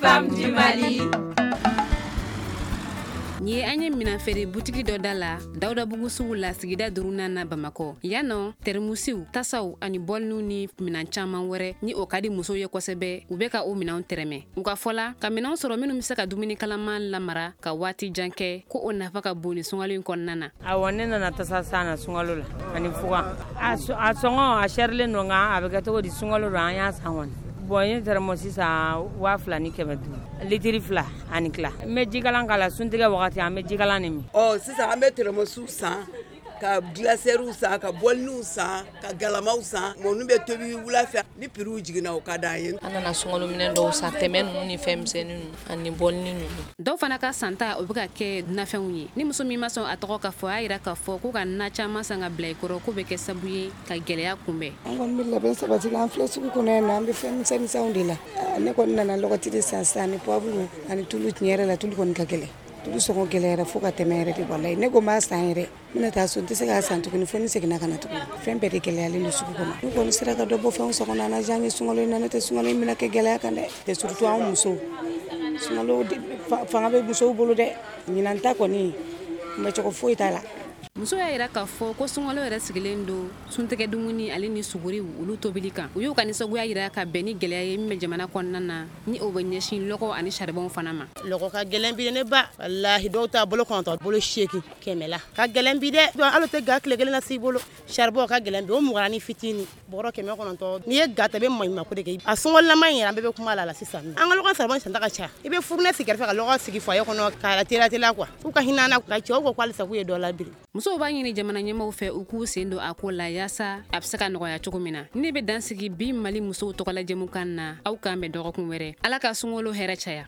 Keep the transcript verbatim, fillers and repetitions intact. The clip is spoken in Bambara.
femmes du Mali. Nin ye an ye minan feere butigi dɔ da la Dawudabugu sugu la, sigida duurunan na Bamakɔ. Yan nɔ, tɛrɛmusiw, tasaw ani bɔliniw ni minan caman wɛrɛ ni o ka di musow ye kosɛbɛ, u bɛ ka o minɛnw tɛrɛmɛ. U ka fɔ la, ka minɛnw sɔrɔ minnu bɛ se ka dumuni kalaman lamara ka waati jan kɛ, ko o nafa ka bon ni sunkalo in kɔnɔna na. Awɔ, ne nana tasa san na sunkalo la ani fugan. A sɔngɔ a sɛrilen don, nka a bɛ kɛ cogo di, sunkalo don, an y'a san kɔni. Bon, n ye tɛrɛmɔsi san waa fila ni kɛmɛ duuru, litiri fila ani tila. N bɛ jikalan k'a la suntigɛ wagati, an bɛ jikalan de min. Ɔ sisan an bɛ tɛrɛmɔsiw san, ka glacières san, ka bɔliniw san, ka galamaw san. Ninnu bɛ tobi wula fɛ ni prix jiginna, o ka d'an ye. An nana sunkalominɛn dɔw san, tɛmɛ ninnu ni fɛn misɛnnin ninnu ani bɔlini ninnu. Dɔw fana ka santa, o bɛ ka kɛ nafɛnw ye. Ni muso min ma sɔn a tɔgɔ ka fɔ, a y'a jira k'a fɔ ko ka na caman san ka bila i kɔrɔ, k'o bɛ kɛ sababu ye ka gɛlɛya kunbɛn. An kɔni bɛ labɛn sabati la, an filɛ sugu kɔnɔ yan nɔ, an bɛ fɛn misɛnninw de la. Ne kɔni nana lɔgɔti de san sisan ani poivre ani tulu. Tiɲɛ yɛrɛ la, tulu kɔni ka gɛlɛn, tulu sɔngɔ gɛlɛyara fo ka tɛmɛ yɛrɛ de. Walayi, ne ko n b'a san yɛrɛ, n bɛna taa so, n tɛ se k'a san tuguni fo ni seginna ka na tuguni. Fɛn bɛɛ de gɛlɛyalen don sugu kɔnɔ. N'u kɔni sera ka dɔ bɔ fɛnw sɔngɔ na, an na diya an ye sunkalo in na. N'o tɛ, sunkalo in bɛna kɛ gɛlɛya kan dɛ, surtout anw musow. Sunkalo fanga bɛ musow bolo dɛ. Ɲinan ta kɔni, kunbɛcogo foyi t'a la. Muso y'a jira k'a fɔ ko sunkalo yɛrɛ sigilen don suntigɛ dumuni ale ni suguri, olu tobili kan. U y'u ka nisɔngoya jira ka bɛn ni gɛlɛya ye min bɛ jamana kɔnɔna na, ni o bɛ ɲɛsin lɔgɔ ani saribɔn fana ma. Lɔgɔ ka gɛlɛn bi ne ba. Walahi, dɔw ta bolo kɔnɔntɔn, bolo seegin, kɛmɛ la ka gɛlɛn bi dɛ. Hali tɛ ga tile kelen na s'i bolo. Saribɔn ka gɛlɛn bi, o mugan ni fitinin, bɔrɔ kɛmɛ kɔnɔntɔn. N'i ye ga ta, i bɛ maɲumanko de kɛ. A sunkalo in yɛrɛ, an bɛɛ bɛ kuma la la sisan. An ka lɔgɔ saribɔn santa ka ca. I bɛ fourneau sigi kɛrɛfɛ ka lɔgɔ sigi foyer kɔnɔ k'a teliya teliya quoi. K'u ka hinɛ an na, ka cɛw ko k'alisa k'u ye dɔ labiri. Musow b'a ɲini jamana ɲɛmaw fɛ, u k'u sen don a ko la yaasa a bɛ se ka nɔgɔya cogo min na. Ne bɛ dan sigi bi Mali musow tɔgɔla jɛmukan na. Aw k'an bɛn dɔgɔkun wɛrɛ. Ala ka sunkalo hɛrɛ caya.